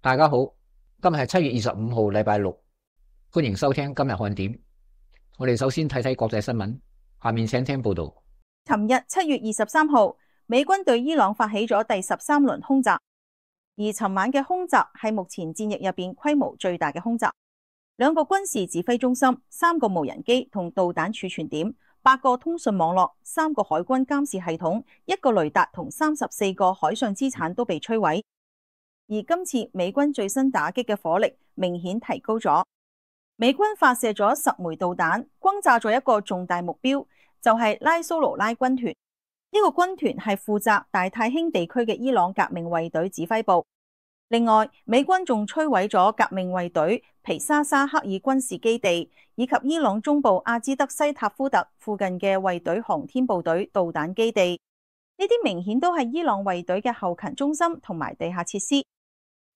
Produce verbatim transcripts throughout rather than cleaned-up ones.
大家好，今日係七月二十五號，禮拜六，歡迎收聽今日看點。我哋首先睇睇國際新聞，下面請聽報道。尋日七月二十三號，美軍對伊朗發起咗第十三輪空襲，而尋晚嘅空襲係目前戰役入邊規模最大嘅空襲。兩個軍事指揮中心、三個無人機同導彈儲存點、八個通訊網絡、三個海軍監視系統、一個雷達同三十四個海上資產都被摧毀。而今次美軍最新打擊嘅火力明顯提高咗，美軍發射咗十枚導彈，轟炸咗一個重大目標，就係拉蘇魯拉軍團。呢個軍團係負責大太興地區嘅伊朗革命衛隊指揮部。另外，美軍仲摧毀咗革命衛隊皮沙沙克爾軍事基地，以及伊朗中部阿茲德西塔夫特附近嘅衛隊航天部隊導彈基地。呢啲明顯都係伊朗衛隊嘅後勤中心同埋地下設施。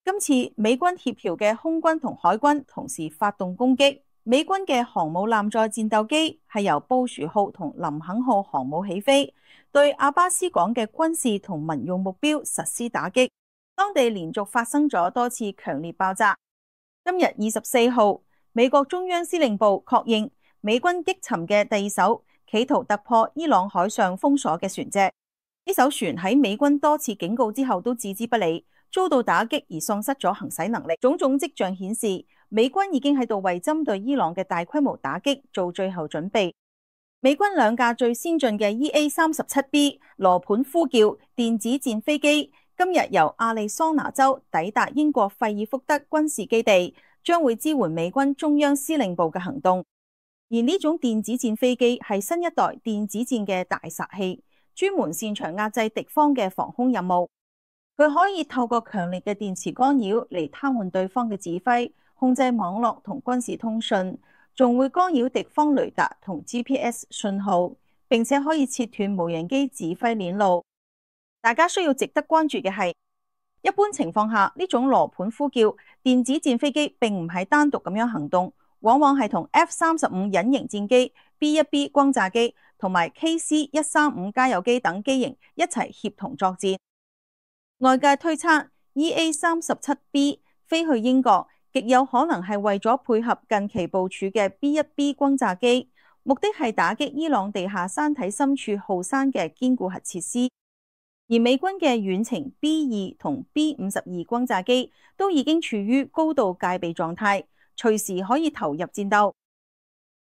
今次美軍協調嘅空軍同海軍同時發動攻擊，美軍嘅航母艦載戰鬥機係由布殊號同林肯號航母起飛，對阿巴斯港嘅軍事同民用目標實施打擊。當地連續發生咗多次強烈爆炸。今日二十四號，美國中央司令部確認美軍擊沉嘅第二艘企圖突破伊朗海上封鎖嘅船隻。呢艘船喺美軍多次警告之後都置之不理，遭到打擊而喪失咗行駛能力。種種跡象顯示，美軍已經喺度為針對伊朗嘅大規模打擊做最後準備。美軍兩架最先進嘅 E A 三十七 B 羅盤呼叫電子戰飛機今日由亞利桑那州抵達英國費爾福德軍事基地，將會支援美軍中央司令部嘅行動。而呢種電子戰飛機係新一代電子戰嘅大殺器，專門擅長壓制敵方嘅防空任務。佢可以透過強烈嘅電磁干擾嚟癱瘓對方嘅指揮，控制網絡同軍事通訊，仲會干擾敵方雷達同 G P S 信號，並且可以切斷無人機指揮鏈路。大家需要值得關注嘅係，一般情況下呢種羅盤呼叫電子戰飛機並唔係單獨咁樣行動，往往係同 F 三十五隱形戰機、B 一 B 轟炸機同埋 K C 一三五加油機等機型一齊協同作戰。外界推測 E A 三十七 B 飛去英國，極有可能係為咗配合近期部署嘅 B 一 B 轟炸機，目的係打擊伊朗地下山體深處浩山嘅堅固核設施。而美軍嘅遠程 B 二同 B 五十二轟炸機都已經處於高度戒備狀態，隨時可以投入戰鬥。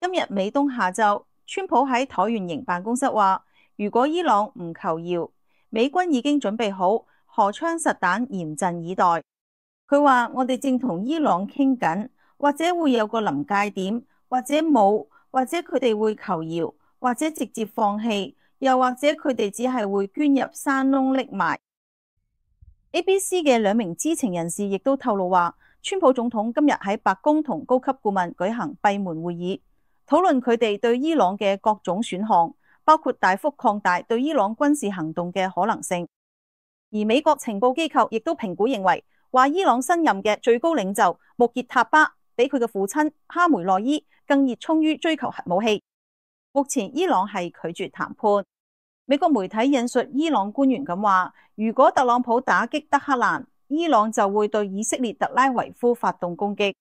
今日美東下晝，川普喺橢圓形辦公室話，如果伊朗唔求饒，美軍已經準備好荷槍實彈，嚴陣以待。佢話：我哋正同伊朗傾緊，或者會有個臨界點，或者冇，或者佢哋會求饒，或者直接放棄，又或者佢哋只係會捐入山窿匿埋。A B C 嘅兩名知情人士亦都透露話，川普總統今日喺白宮同高級顧問舉行閉門會議，討論佢哋對伊朗嘅各種選項，包括大幅擴大對伊朗軍事行動嘅可能性。而美國情報機構亦都評估認為，話伊朗新任嘅最高領袖穆傑塔巴比佢嘅父親哈梅內伊更熱衷於追求核武器。目前伊朗係拒絕談判。美國媒體引述伊朗官員咁話，如果特朗普打擊德黑蘭，伊朗就會對以色列特拉維夫發動攻擊。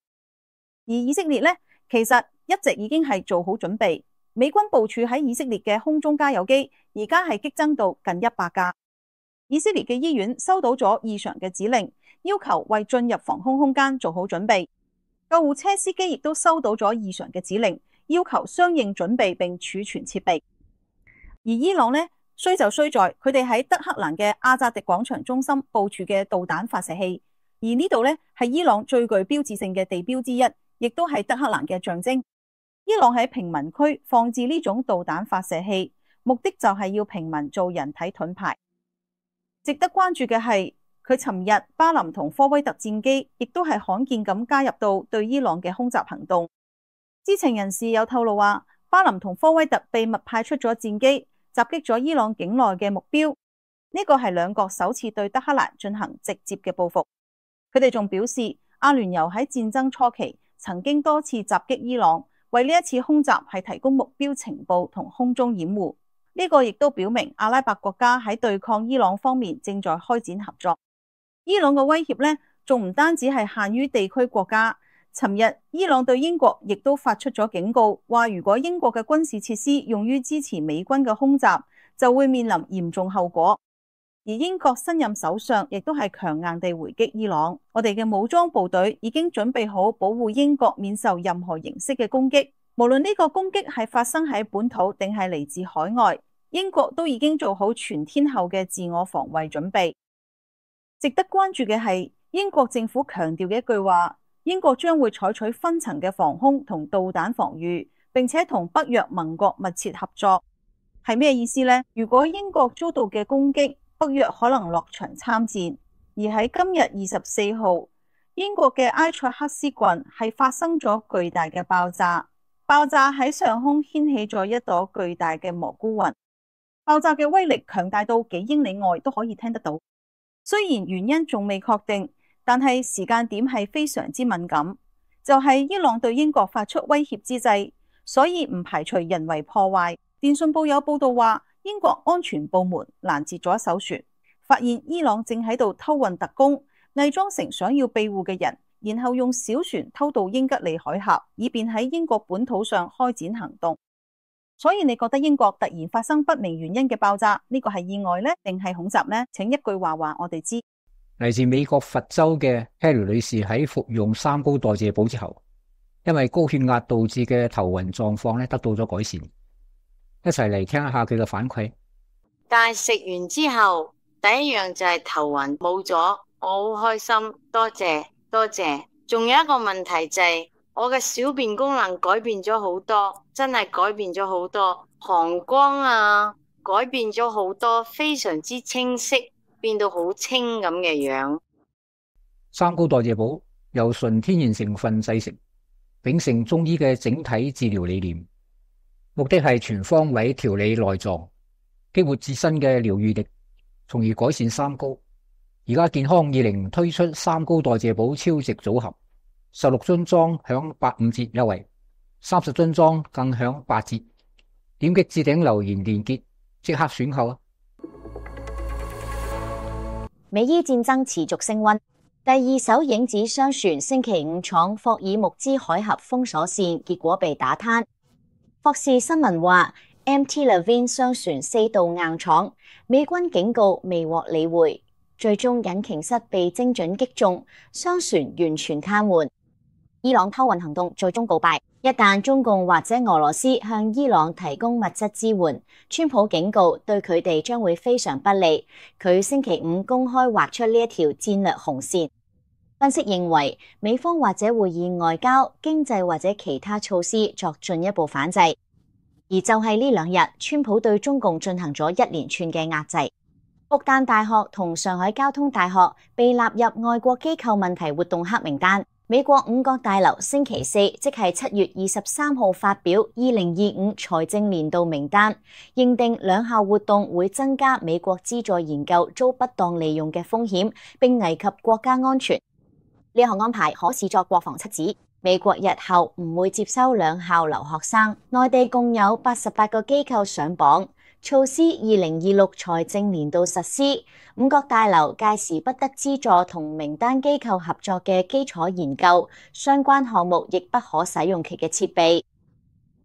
而以色列呢，其實一直已經係做好準備。美軍部署喺以色列嘅空中加油機而家係激增到近一百架。以色列嘅醫院收到咗異常嘅指令，要求為進入防空空間做好準備。救護車司機亦都收到咗異常嘅指令，要求相應準備並儲存設備。而伊朗呢，衰就衰在佢哋喺德黑蘭嘅阿扎迪廣場中心部署嘅導彈發射器，而呢度呢係伊朗最具標誌性嘅地標之一，亦都係德黑蘭嘅象徵。伊朗喺平民區放置呢種導彈發射器，目的就係要平民做人體盾牌。值得關注嘅係，佢尋日巴林同科威特戰機亦都係罕見咁加入到對伊朗嘅空襲行動。知情人士有透露話，巴林同科威特秘密派出咗戰機，襲擊咗伊朗境內嘅目標。呢個係兩國首次對德黑蘭進行直接嘅報復。佢哋仲表示，阿聯酋喺戰爭初期曾經多次襲擊伊朗，為呢一次空襲係提供目標情報同空中掩護。呢個亦都表明阿拉伯國家喺對抗伊朗方面正在開展合作。伊朗嘅威脅呢，仲唔單止係限於地區國家。尋日伊朗對英國亦都發出咗警告，話如果英國嘅軍事設施用於支持美軍嘅空襲，就會面臨嚴重後果。而英國新任首相亦都係強硬地回擊伊朗，我哋嘅武裝部隊已經準備好保護英國免受任何形式嘅攻擊，無論呢個攻擊係發生喺本土定係嚟自海外，英國都已經做好全天候嘅自我防衛準備。值得關注嘅係英國政府強調嘅一句話，英國將會採取分層嘅防空同導彈防禦，並且同北約盟國密切合作。係咩意思呢？如果英國遭到嘅攻擊，北約可能落場參戰。而喺今日二十四號，英國嘅埃塞克斯郡係發生咗巨大嘅爆炸，爆炸喺上空掀起咗一朵巨大嘅蘑菇雲，爆炸嘅威力強大到幾英里外都可以聽得到。雖然原因仲未確定，但係時間點係非常之敏感，就係伊朗對英國發出威脅之際，所以唔排除人為破壞。電訊報有報道話，英國安全部門攔截咗一艘船，發現伊朗正喺度偷運特工，偽裝成想要庇護嘅人，然後用小船偷渡英吉利海峽，以便喺英國本土上開展行動。所以你覺得英國突然發生不明原因嘅爆炸，呢個係意外呢？定係恐襲呢？請一句話話我哋知。嚟自美國佛州嘅 Harry 女士喺服用三高代謝寶之後，因為高血壓導致嘅頭暈狀況咧得到咗改善。一齊嚟聽一下佢嘅反饋。但係食完之後，第一樣就係頭暈冇咗，我好開心，多謝多謝。仲有一個問題就係、是、我嘅小便功能改變咗好多，真係改變咗好多，膀胱啊改變咗好多，非常之清晰，變到好清咁嘅樣。三高代謝寶由純天然成分製成，秉承中醫嘅整體治療理念，目的係全方位調理內臟，激活自身嘅療癒力，從而改善三高。而家健康二零推出三高代謝寶超值組合，十六樽裝享八五折優惠，三十樽裝更享八折。點擊置頂留言連結，即刻選購啊！美伊戰爭持續升溫，第二艘影子商船星期五闖霍爾木茲海峽封鎖線，結果被打癱。霍士新聞話 ，M T Levine 商船四度硬闖，美軍警告未獲理會，最終引擎室被精準擊中，商船完全癱瘓。伊朗偷運行動最終告敗。一旦中共或者俄羅斯向伊朗提供物質支援，川普警告對佢哋將會非常不利。佢星期五公開劃出呢一條戰略紅線。分析認為，美方或者會以外交、經濟或者其他措施作進一步反制。而就係呢兩日，川普對中共進行咗一連串嘅壓制。復旦大學同上海交通大學被納入外國機構問題活動黑名單。美國五角大樓星期四，即係七月二十三號發表二零二五財政年度名單，認定兩項活動會增加美國資助研究遭不當利用嘅風險，並危及國家安全。呢項安排可視作國防七子。美國日後唔會接收兩校留學生。內地共有八十八個機構上榜。措施二零二六財政年度實施，五角大樓屆時不得資助同名單機構合作嘅基礎研究，相關項目亦不可使用其嘅設備。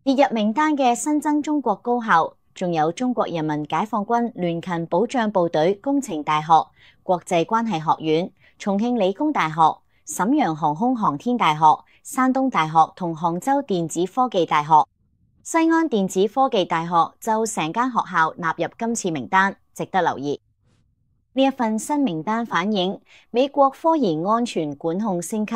列入名單嘅新增中國高校，仲有中國人民解放軍聯勤保障部隊工程大學、國際關係學院、重慶理工大學、瀋陽航空航天大學、山東大學同杭州電子科技大學。西安電子科技大學就成間學校納入今次名單，值得留意。呢一份新名單反映美國科研安全管控升級，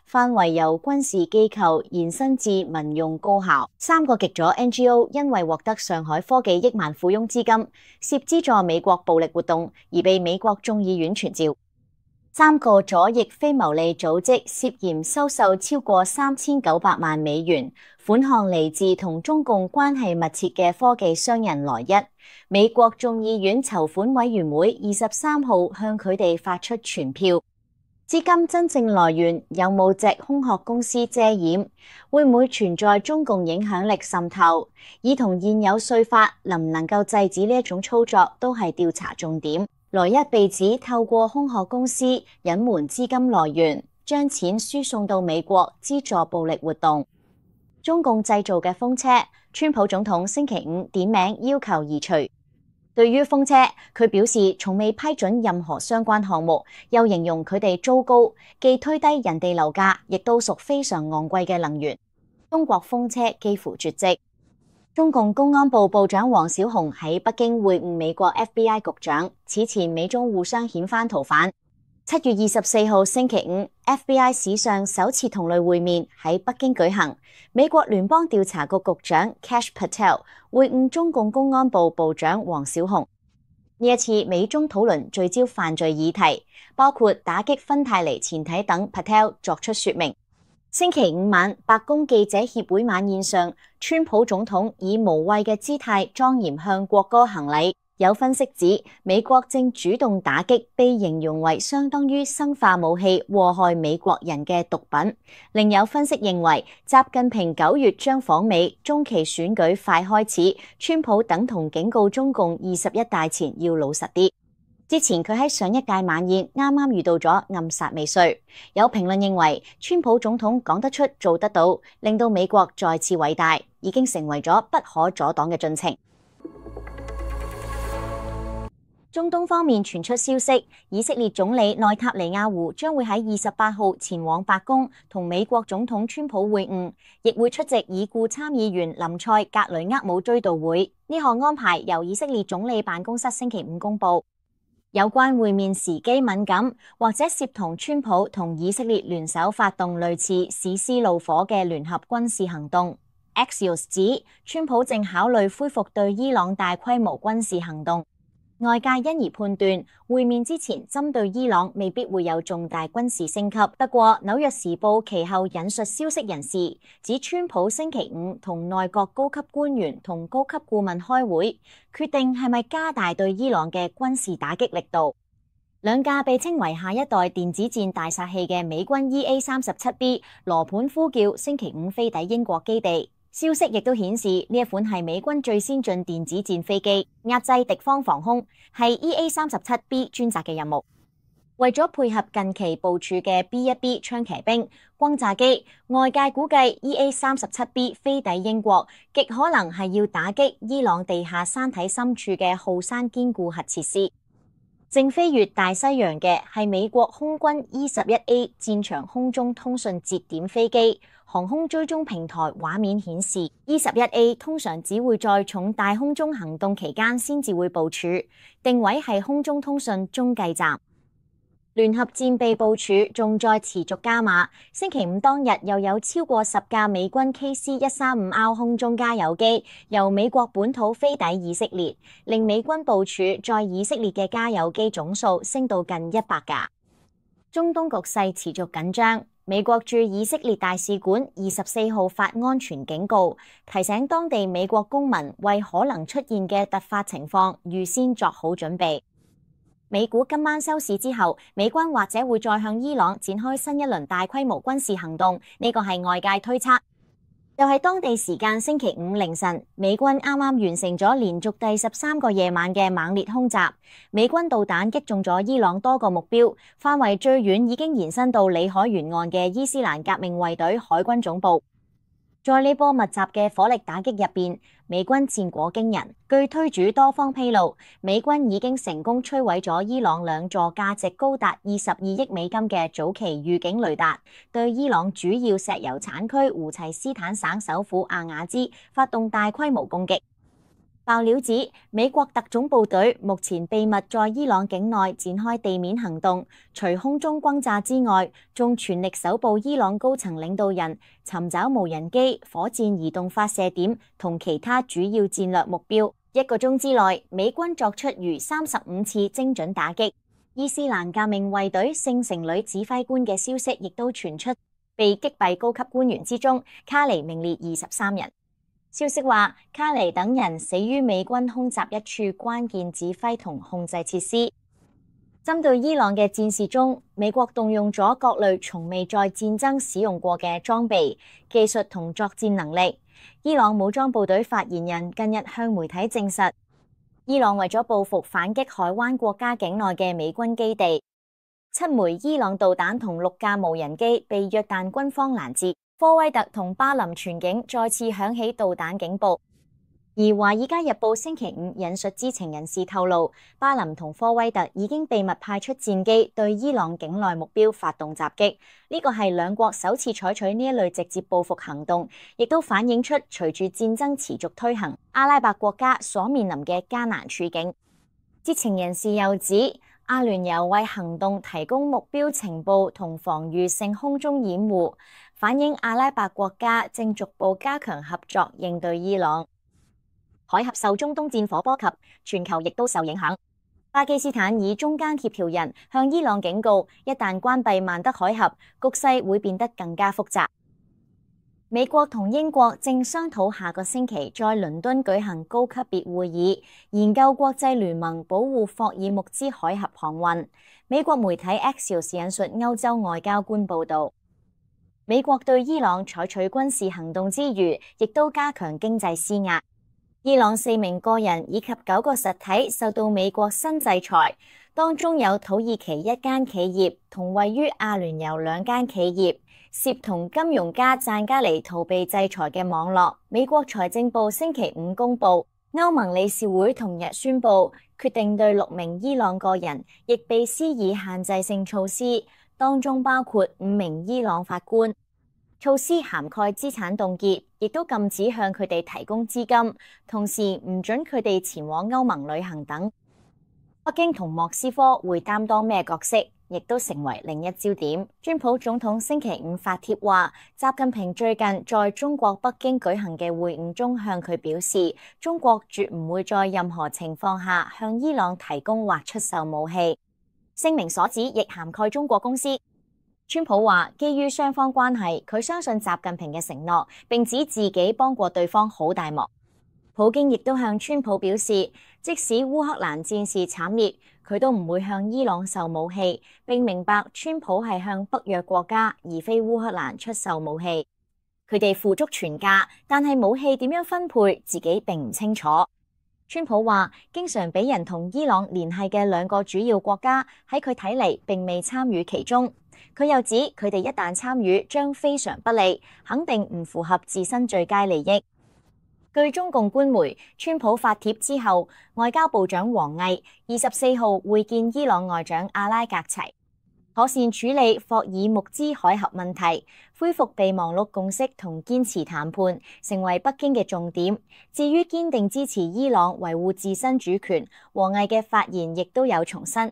範圍由軍事機構延伸至民用高校。三個極左 N G O 因為獲得上海科技億萬富翁資金，涉資助美國暴力活動，而被美國眾議院傳召。三個左翼非牟利組織涉嫌收受超過三千九百萬美元款項，嚟自同中共關係密切嘅科技商人來一。美國眾議院籌款委員會二十三號向佢哋發出傳票。資金真正來源有冇藉空殼公司遮掩？會唔會存在中共影響力滲透？以同現有稅法能唔能夠制止呢一種操作，都係調查重點。萊一被指透過空殼公司隱瞞資金來源，將錢輸送到美國資助暴力活動。中共製造嘅風車，川普總統星期五點名要求移除。對於風車，佢表示從未批准任何相關項目，又形容佢哋糟糕，既推低人哋樓價，亦都屬非常昂貴嘅能源。中國風車幾乎絕跡。中共公安部部長王小洪喺北京會晤美國 F B I 局長，此前美中互相遣返逃犯。七月二十四號星期五 ，F B I 史上首次同類會面喺北京舉行。美國聯邦調查局局長 Kash Patel 會晤中共公安部部長王小洪。呢一次美中討論聚焦犯罪議題，包括打擊芬太尼前體等。Patel 作出說明。星期五晚，白宮記者協會晚宴上，川普總統以無畏嘅姿態莊嚴向國歌行禮。有分析指，美國正主動打擊被形容為相當於生化武器禍害美國人嘅毒品。另有分析認為，習近平九月將訪美，中期選舉快開始，川普等同警告中共二十一大前要老實啲。之前佢喺上一屆晚宴啱啱遇到咗暗殺未遂，有評論認為川普總統講得出做得到，令到美國再次偉大，已經成為咗不可阻擋嘅進程。中東方面傳出消息，以色列總理內塔尼亞胡將會喺二十八號前往白宮同美國總統川普會晤，亦會出席已故參議員林賽格雷厄姆追悼會。呢項安排由以色列總理辦公室星期五公佈。有關會面時機敏感，或者涉同川普同以色列聯手發動類似史詩怒火嘅聯合軍事行動。Axios 指川普正考慮恢復對伊朗大規模軍事行動。外界因而判斷會面之前針對伊朗未必會有重大軍事升級。不過紐約時報其後引述消息人士指，川普星期五同內閣高級官員同高級顧問開會，決定係咪加大對伊朗嘅軍事打擊力度。兩架被稱為下一代電子戰大殺器嘅美軍 E A 三十七 B 羅盤呼叫星期五飛抵英國基地。消息亦都顯示呢一款係美軍最先進電子戰飛機，壓制敵方防空，係 E A 三十七 B 專責嘅任務。為咗配合近期部署嘅 B 一 B 槍騎兵轟炸機，外界估計 E A 三十七 B 飛抵英國，極可能係要打擊伊朗地下山體深處嘅浩山堅固核設施。正飛越大西洋嘅係美國空軍 E 十一 A 戰場空中通訊節點飛機。航空追蹤平台畫面顯示 ，E 十一 A 通常只會在重大空中行動期間先至會部署，定位係空中通訊中繼站。聯合戰備部署仲在持續加碼，星期五當日又有超過十架美軍 K C 一三五 R 空中加油機由美國本土飛抵以色列，令美軍部署在以色列嘅加油機總數升到近一百架。中東局勢持續緊張。美國駐以色列大使館二十四號發安全警告，提醒當地美國公民為可能出現嘅突發情況預先作好準備。美股今晚收市之後，美軍或者會再向伊朗展開新一輪大規模軍事行動，呢個係外界推測。就係當地時間星期五凌晨，美軍啱啱完成咗連續第十三個夜晚嘅猛烈空襲，美軍導彈擊中咗伊朗多個目標，範圍最遠已經延伸到裏海沿岸嘅伊斯蘭革命衛隊海軍總部。在呢波密集嘅火力打擊入邊，美軍戰果驚人。據推主多方披露，美軍已經成功摧毀咗伊朗兩座價值高達二十二億美金嘅早期預警雷達，對伊朗主要石油產區胡齊斯坦省首府阿雅茲發動大規模攻擊。爆料指，美國特種部隊目前秘密在伊朗境內展開地面行動，除空中轟炸之外，仲全力搜捕伊朗高層領導人，尋找無人機、火箭移動發射點同其他主要戰略目標。一個鐘之內，美軍作出逾三十五次精準打擊。伊斯蘭革命衛隊聖城旅指揮官嘅消息亦都傳出，被擊斃高級官員之中，卡尼名列二十三人。消息話，卡尼等人死於美軍空襲一處關鍵指揮同控制設施。針對伊朗嘅戰事中，美國動用咗各類從未在戰爭使用過嘅裝備、技術同作戰能力。伊朗武裝部隊發言人近日向媒體證實，伊朗為咗報復反擊海灣國家境內嘅美軍基地，七枚伊朗導彈同六架無人機被約旦軍方攔截。科威特同巴林全境再次響起導彈警報。而《華爾街日報》星期五引述知情人士透露，巴林同科威特已經秘密派出戰機對伊朗境內目標發動襲擊。呢個係兩國首次採取呢一類直接報復行動，亦都反映出隨住戰爭持續推行，阿拉伯國家所面臨嘅艱難處境。知情人士又指，阿聯酋為行動提供目標情報同防禦性空中掩護，反映阿拉伯國家正逐步加強合作應對伊朗。海峽受中東戰火波及，全球亦都受影響。巴基斯坦以中間協調人向伊朗警告，一旦關閉曼德海峽，局勢會變得更加複雜。美國同英國正商討下個星期在倫敦舉行高級別會議，研究國際聯盟保護霍爾木茲海峽航運。美國媒體 Axios 引述歐洲外交官報導，美國對伊朗採取軍事行動之餘，亦都加強經濟施壓。伊朗四名個人以及九個實體受到美國新制裁，當中有土耳其一間企業同位於阿聯酋兩間企業，涉同金融家贊加尼逃避制裁嘅網絡。美國財政部星期五公布，歐盟理事會同日宣布決定對六名伊朗個人亦被施以限制性措施，當中包括五名伊朗法官。措施涵蓋資產凍結，亦都禁止向佢哋提供資金，同時唔准佢哋前往歐盟旅行等。北京同莫斯科會擔當咩角色，亦都成為另一焦點。川普總統星期五發帖話，習近平最近在中國北京舉行嘅會晤中向佢表示，中國絕唔會在任何情況下向伊朗提供或出售武器。聲明所指亦涵蓋中國公司。川普話，基於雙方關係，佢相信習近平嘅承諾，並指自己幫過對方好大忙。普京亦都向川普表示，即使烏克蘭戰事慘烈，佢都唔會向伊朗售武器，並明白川普係向北約國家而非烏克蘭出售武器。佢哋付足全價，但係武器點樣分配，自己並唔清楚。川普話，經常俾人同伊朗聯繫嘅兩個主要國家喺佢睇嚟並未參與其中。佢又指佢哋一旦參與將非常不利，肯定唔符合自身最佳利益。據中共官媒，川普發帖之後，外交部長王毅二十四號會見伊朗外長阿拉格齊，妥善處理霍爾木茲海峽問題，恢復備忘錄共識同堅持談判，成為北京嘅重點。至於堅定支持伊朗維護自身主權，王毅嘅發言亦都有重申。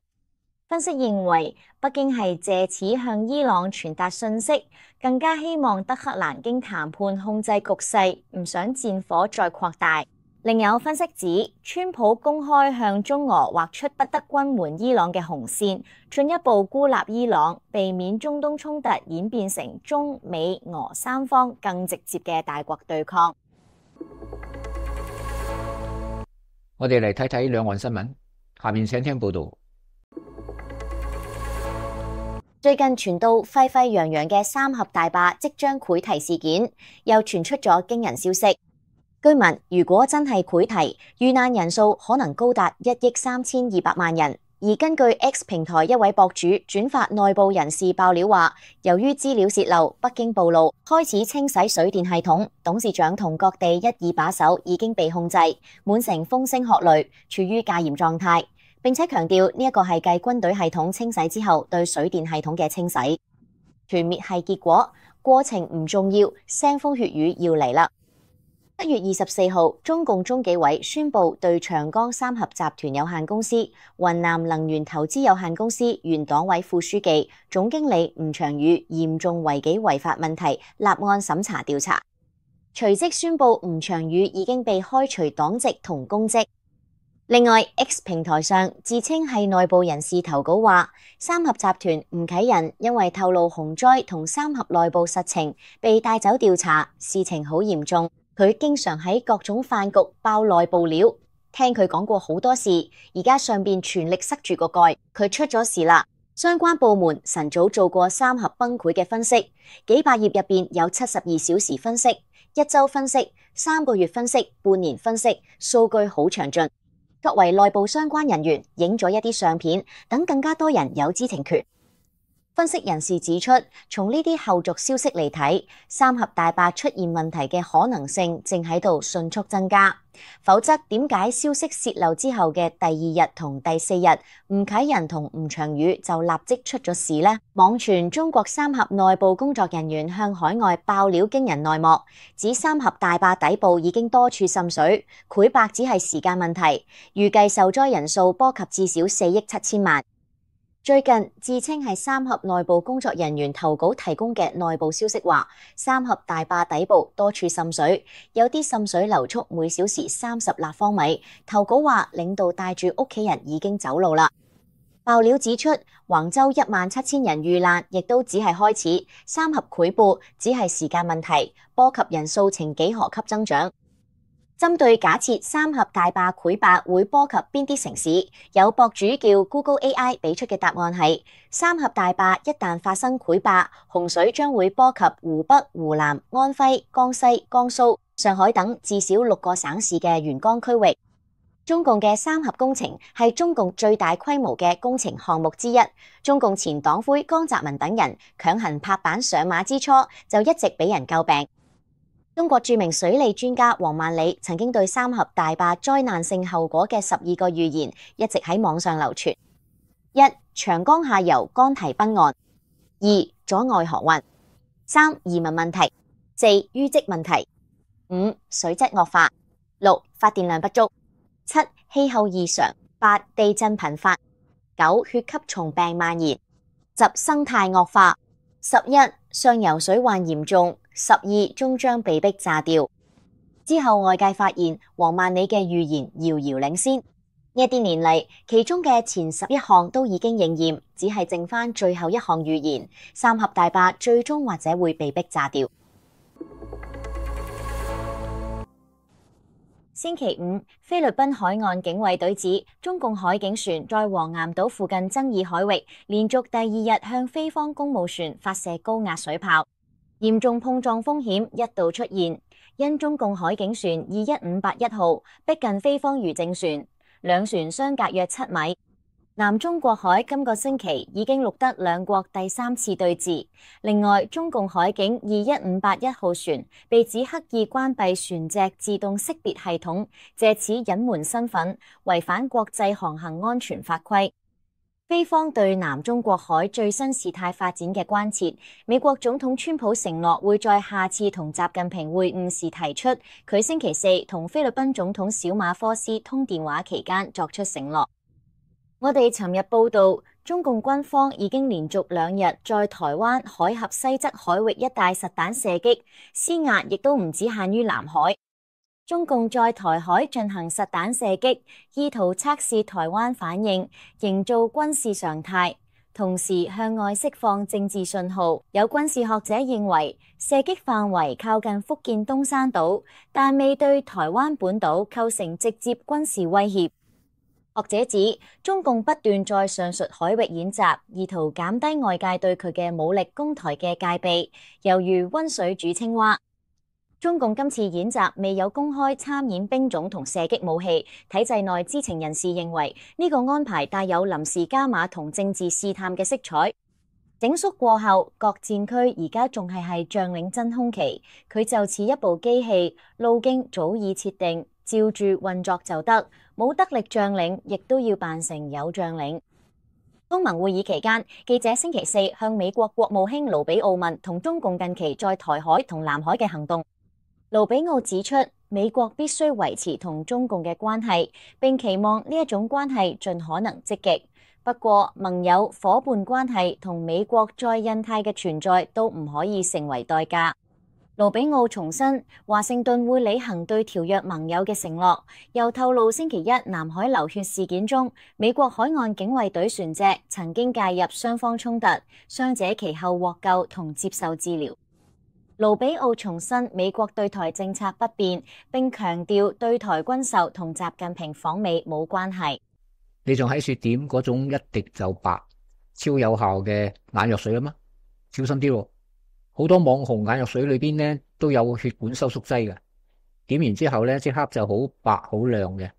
分析認為，北京係借此向伊朗傳達訊息，更加希望德黑蘭經談判控制局勢，唔想戰火再擴大。另有分析指，川普公開向中俄劃出不得軍援伊朗嘅紅線，進一步孤立伊朗，避免中東衝突演變成中美俄三方更直接嘅大國對抗。我哋嚟睇睇兩岸新聞，下面請聽報道。最近傳到沸沸揚揚嘅三峽大壩即將潰堤事件，又傳出咗驚人消息。據聞，如果真係潰堤，遇難人數可能高達一億三千二百萬人。而根據 X 平台一位博主轉發內部人士爆料話，由於資料洩漏，北京暴露，開始清洗水電系統，董事長同各地一二把手已經被控制，滿城風聲鶴唳，處於戒嚴狀態。並且強調呢一個係繼軍隊系統清洗之後對水電系統嘅清洗。團滅係結果，過程唔重要，腥風血雨要嚟啦。一月二十四號，中共中紀委宣布對長江三峽集團有限公司、雲南能源投資有限公司原黨委副書記、總經理吳長宇嚴重違紀違法問題立案審查調查，隨即宣布吳長宇已經被開除黨籍同公職。另外 ，X 平台上自稱係內部人士投稿話，三峽集團吳啟仁因為透露洪災同三峽內部實情，被帶走調查，事情好嚴重。佢經常喺各種飯局爆內部料，聽佢講過好多事，而家上邊全力塞住個蓋，佢出咗事啦。相關部門晨早做過三峽崩潰嘅分析，幾百頁入邊有七十二小時分析、一周分析、三個月分析、半年分析，數據好詳盡。作為內部相關人員，影咗一啲相片，等更加多人有知情權。分析人士指出，從呢啲後續消息嚟睇，三峽大壩出現問題嘅可能性正喺度迅速增加。否則，點解消息洩漏之後嘅第二日同第四日，吳啟仁同吳長宇就立即出咗事呢？網傳中國三峽內部工作人員向海外爆料驚人內幕，指三峽大壩底部已經多處滲水，潰壩只係時間問題，預計受災人數波及至少四億七千萬。最近自稱係三峽內部工作人員投稿提供嘅內部消息話，三峽大壩底部多處滲水，有啲滲水流速每小時三十立方米。投稿話領導帶住屋企人已經走路啦。爆料指出，橫州一萬七千人遇難，亦都只係開始，三峽潰壩只係時間問題，波及人數呈幾何級增長。針對假設三峽大壩潰壩會波及邊啲城市，有博主叫 Google A I 俾出嘅答案係：三峽大壩一旦發生潰壩，洪水將會波及湖北、湖南、安徽、江西、江蘇、上海等至少六個省市嘅沿江區域。中共嘅三峽工程係中共最大規模嘅工程項目之一。中共前黨魁江澤民等人強行拍板上馬之初，就一直俾人詬病。中國著名水利專家王萬里曾經對三峽大壩災難性後果嘅十二個預言一直喺網上流傳：一、長江下游乾堤崩岸；二、阻礙航運；三、移民問題；四、淤積問題；五、水質惡化；六、發電量不足；七、氣候異常；八、地震頻發；九、血吸蟲病蔓延；十、生態惡化；十一、上游水患嚴重；十二終將被迫炸掉。之後外界發現王萬里嘅預言遙遙領先，呢一啲年嚟，其中嘅前十一項都已經應驗，只係剩翻最後一項預言：三峽大壩最終或者會被迫炸掉。星期五，菲律賓海岸警衛隊指中共海警船在黃岩島附近爭議海域，連續第二日向菲方公務船發射高壓水炮。嚴重碰撞風險一度出現，因中共海警船二一五八一號逼近菲方漁政船，兩船相隔約七米。南中國海今個星期已經錄得兩國第三次對峙。另外，中共海警二一五八一號船被指刻意關閉船隻自動識別系統，借此隱瞞身份，違反國際航行安全法規。菲方對南中國海最新事態發展嘅關切，美國總統川普承諾會在下次同習近平會晤時提出，佢星期四同菲律賓總統小馬科斯通電話期間作出承諾。我哋尋日報道，中共軍方已經連續兩日在台灣海峽西側海域一帶實彈射擊，施壓亦都唔只限於南海。中共在台海進行實彈射擊，意圖測試台灣反應，營造軍事常態，同時向外釋放政治信號。有軍事學者認為，射擊範圍靠近福建東山島，但未對台灣本島構成直接軍事威脅。學者指，中共不斷在上述海域演習，意圖減低外界對佢嘅武力攻台嘅戒備，猶如溫水煮青蛙。中共今次演習未有公開參演兵種同射擊武器，體制內知情人士認為呢個安排帶有臨時加碼同政治試探嘅色彩。整肅過後，各戰區而家仲係係將領真空期，佢就似一部機器，路徑早已設定，照住運作就得，冇得力將領亦都要扮成有將領。東盟會議期間，記者星期四向美國國務卿盧比奧問同中共近期在台海同南海嘅行動。盧比奧指出，美國必須維持同中共嘅關係，並期望呢一種關係盡可能積極。不過，盟友伙伴關係同美國在印太嘅存在都唔可以成為代價。盧比奧重申，華盛頓會履行對條約盟友嘅承諾，又透露星期一南海流血事件中，美國海岸警衛隊船隻曾經介入雙方衝突，傷者其後獲救同接受治療。盧比奧重申美國對台政策不變，並強調對台軍售同習近平訪美冇關係。你仲喺說點嗰種一滴就白、超有效嘅眼藥水啊嗎？小心啲喎，好多網紅眼藥水裏邊咧都有血管收縮劑嘅，點完之後咧即刻就好白好亮嘅。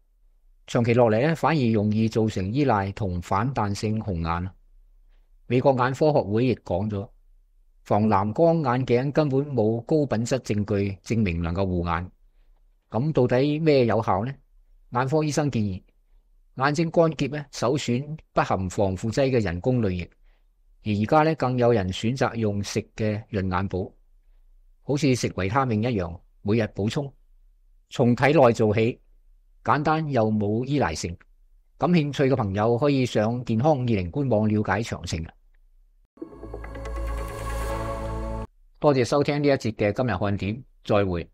長期落嚟咧，反而容易造成依賴同反彈性紅眼。美國眼科學會亦講咗，防藍光眼鏡根本冇高品質證據證明能夠護眼。咁到底咩有效呢？眼科醫生建議，眼睛乾澀咧，首選不含防腐劑嘅人工淚液。而而家咧，更有人選擇用食嘅潤眼寶，好似食維他命一樣，每日補充，從體內做起，簡單又冇依賴性。感興趣嘅朋友可以上健康二零官網了解詳情。多謝收聽呢一節嘅今日看點，再會。